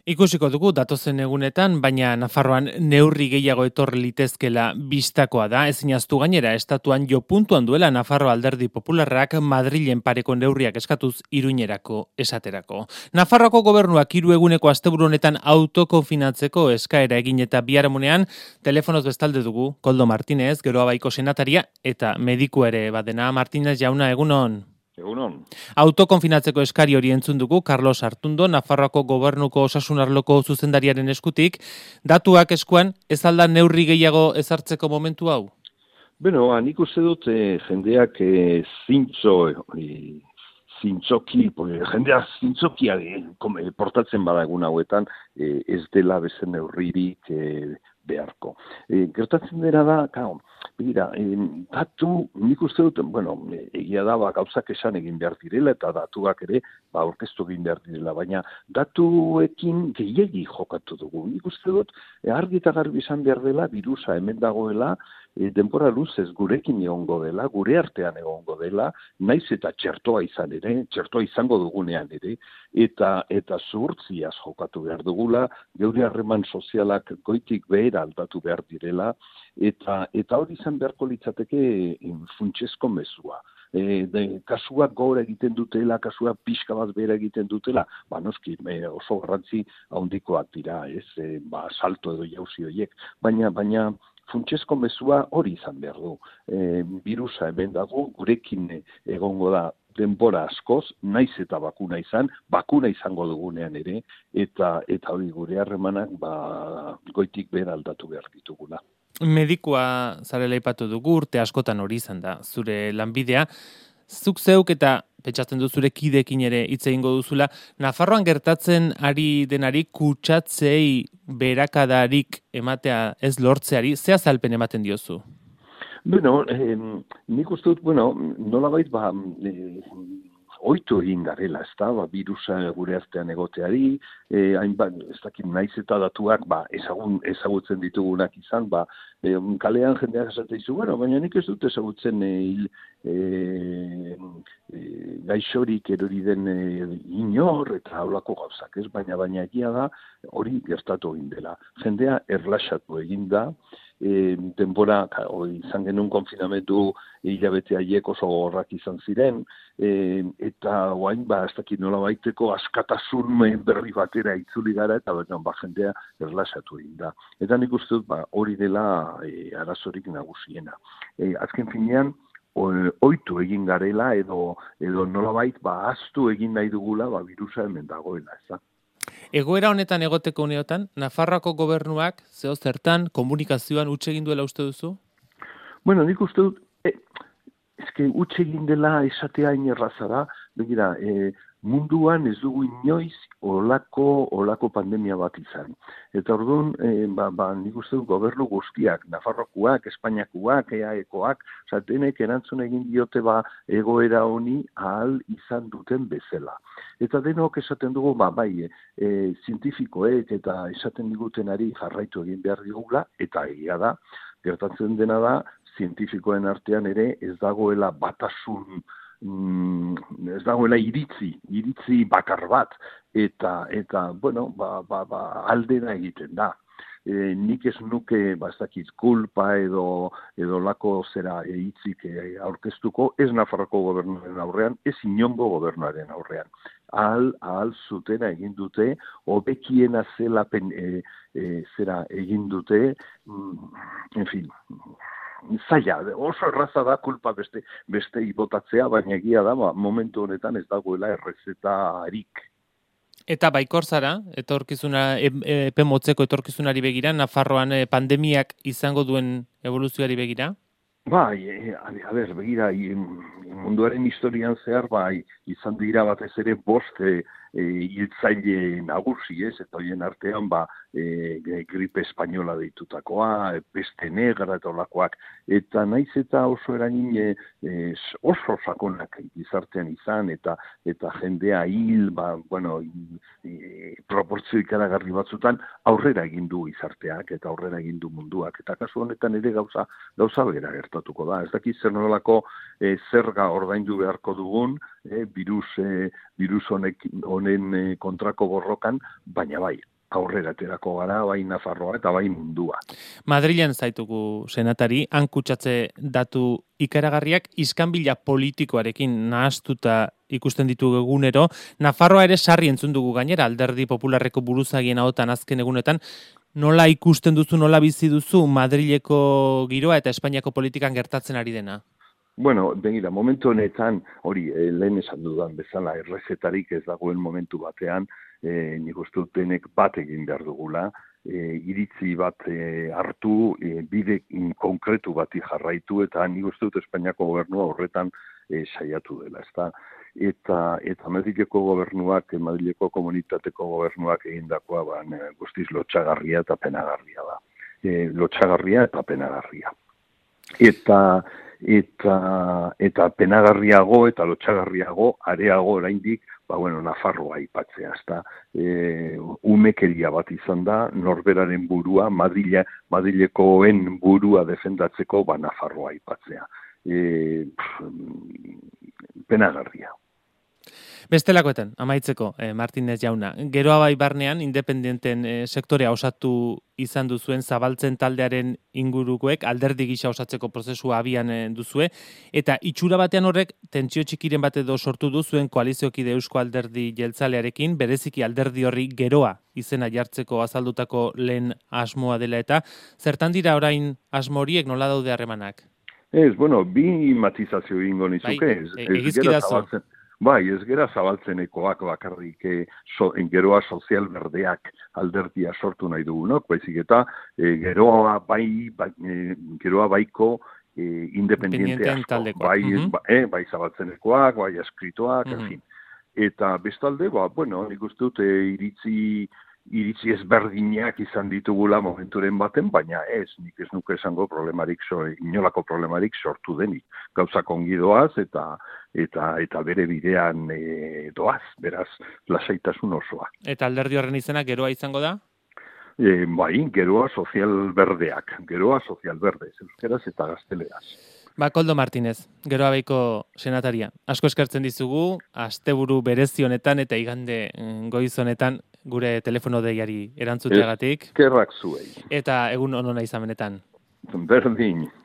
Ikusiko dugu datozen egunetan, baina Nafarroan neurri gehiago etor litezkela bistakoa da. Ezinaztu gainera, estatuan jo puntuan duela Nafarro Alderdi Popularrak Madrilen pareko neurriak eskatuz Iruñerako esaterako. Nafarroako gobernuak 3 eguneko asteburu honetan autokonfinatzeko eskaera egin eta biharamunean telefonoz bestalde dugu Koldo Martínez, Geroa Baiko senataria eta medikua ere badena. Martínez jauna, egunon. Egunon. Autokonfinatzeko eskari hori entzun dugu Carlos Artundo, Nafarroako gobernuko osasun arloko zuzendariaren eskutik. Datuak eskuan, ez alda neurri gehiago ezartzeko momentu hau? Beno, nik uste dut jendeak jendea zintzokia portatzen bada egun hauetan, ez dela bezen neurririk beharko. Gertatzen dira da, begira, datu, nik uste dut, egia da, gauzak esan egin behar direla, eta datuak ere, aurkeztu egin behar direla, baina datuekin gehiegi jokatu dugu. Nik uste dut, argi eta garbi izan behar dela, virusa hemen dagoela, denbora luzez gurekin egongo dela, gure artean egongo dela, naiz eta txertoa izan ere, txertoa izango dugunean ere, eta zuhurtziaz jokatu behar dugula, geure harreman sozialak goitik behera aldatu behar direla, eta hori izan beharko litzateke funtsezko mezua. Kasuak gora egiten dutela, kasuak pixka bat behera egiten dutela, noski oso garrantzi handikoak dira, salto edo jauzi horiek, baina funtsezko mezua hori izan behar du. Virusa hemen dago, gurekin egongo da denbora askoz, naiz eta bakuna izango dugunean ere, eta hori gure harremanak goitik behar aldatu behar ditugula. Medikua zarela aipatu dugu, urte askotan hori izan da, zure lanbidea. Zuk zeuk eta pentsatzen du zure kidekin ere hitz egingo duzula, Nafarroan gertatzen ari denari kutsatzei berakadarik ematea ez lortzeari, ze azalpen ematen diozu? Bueno, nik uste dut, nolabait ohitu egin garela, ez da, virusa gure artean egoteari, hainbat, ez dakit naiz eta datuak, ezagutzen ditugunak izan, kalean jendeak esaten dizu, baina nik ez dut ezagutzen gaixorik erori den inor eta haulako gauzak, ez? Baina egia da hori gertatu egin dela. Jendea erlaxatu egin da, denbora, izan genuen konfinamentu hilabete haiek oso gogorrak izan ziren, eta guain, ez dakit nola baiteko askatasun berri batera itzuli gara, eta jendea erlaxatu egin da. Eta nik uste dut, hori dela arazorik nagusiena. Azken finean, ohitu egin garela, edo nolabait, ahaztu egin nahi dugula, virusa hemen dagoela, ez da. Egoera honetan egoteko uneotan, Nafarroako gobernuak, zeo zertan, komunikazioan huts egin duela uste duzu? Nik uste dut, huts egin dela esatea inerraza da, begira, munduan ez dugu inoiz olako pandemia bat izan. Eta orduan, nik uste dut gobernu guztiak, Nafarrokoak, Espainiakoak, EAEkoak, denek erantzun egin diote egoera honi ahal izan duten bezala. Eta denok esaten dugu, zientifikoek eta esaten digutenari jarraitu egin behar digula, eta egia da, gertatzen dena da, zientifikoen artean ere ez dagoela batasun, ez dagoela iritzi bakar bat, eta aldera egiten da. Nik ez nuke, ez dakit, kulpa edo lako zera hitzik aurkeztuko, ez Nafarroko gobernuaren aurrean, ez inongo gobernuaren aurrean. Ahal zutena egin dute, hobekiena zela zera egin dute, zaila, oso erraza da kulpa beste botatzea, baina egia da, momentu honetan ez dagoela errezetarik. Eta baikor zara, epe motzeko etorkizunari begira, Nafarroan pandemiak izango duen evoluzioari begira? Begira, munduaren historian zehar, izan dira batez ere 5 hiltzaile nagusi, eta horien artean, gripe espainola deitutakoa, peste negra eta olakoak, eta naiz eta oso eragin oso sakonak gizartean izan, eta jendea hil, proportzio ikaragarri batzutan, aurrera egin du gizarteak, eta aurrera egin du munduak, eta kasu honetan ere gauza bera gertatuko da. Ez dakit zer nolako zerga ordaindu beharko dugun, virus honen kontrako borrokan, baina bai, aurrera aterako gara, bai Nafarroa eta bai mundua. Madrilen zaitugu senatari, han kutsatze datu ikaragarriak iskanbila politikoarekin nahastuta ikusten ditugu egunero. Nafarroa ere sarri entzun dugu gainera, Alderdi Popularreko buruzagien ahotan azken egunetan. Nola ikusten duzu, nola bizi duzu Madrileko giroa eta Espainiako politikan gertatzen ari dena? Bueno, begira, momentu honetan, hori, lehen esan dudan bezala, errezetarik ez dagoen momentu batean, nik uste dut denek bat egin behar dugula, iritzi bat hartu, bide konkretu bati jarraitu, eta nik uste dut Espainiako gobernua horretan saiatu dela, ezta? Eta Madrileko gobernuak, Madrileko komunitateko gobernuak egindakoa guztiz lotxagarria eta penagarria da. Lotxagarria eta penagarria. Eta penagarriago eta lotxagarriago, areago oraindik, Nafarroa aipatzea, ezta? Umekeria bat izan da, norberaren burua, Madrilekoen burua defendatzeko, Nafarroa aipatzea. Penagarria. Bestelakoetan, amaitzeko, Martinez jauna. Geroa bai barnean, independenten sektorea osatu izan duzuen zabaltzen taldearen ingurukoek, alderdi gisa osatzeko prozesua abian duzue, eta itxura batean horrek, tentsio txikiren bat edo sortu duzuen koaliziokide Eusko Alderdi Jeltzalearekin, bereziki alderdi horri geroa izena jartzeko azaldutako lehen asmoa dela, eta zertan dira orain asmo horiek nola daude harremanak? Bi matizazio egingo nizuke. Egizkidazo. Ez gera zabaltzenekoak bakarrik geroa sozial berdeak alderdia sortu nahi dugunok, baizik eta geroa baiko independiente asko, bai zabaltzenekoak, bai eskritoak, en fin. Eta bestalde, nik uste dut iritzi ezberdinak izan ditugula momenturen baten, baina nik ez nuke esango inolako problemarik sortu denik. Gauzak ongi doaz eta bere bidean doaz, beraz, lasaitasun osoa. Eta alderdi horren izena geroa izango da? Geroa sozial berdeak, geroa sozial berdez, euskeraz eta gazteleraz. Koldo Martinez, Geroa Baiko senataria. Asko eskertzen dizugu, asteburu berezi honetan eta igande goiz honetan gure telefono deiari erantzuteagatik. Eskerrak zuei. Eta egun onona izan benetan. Berdin.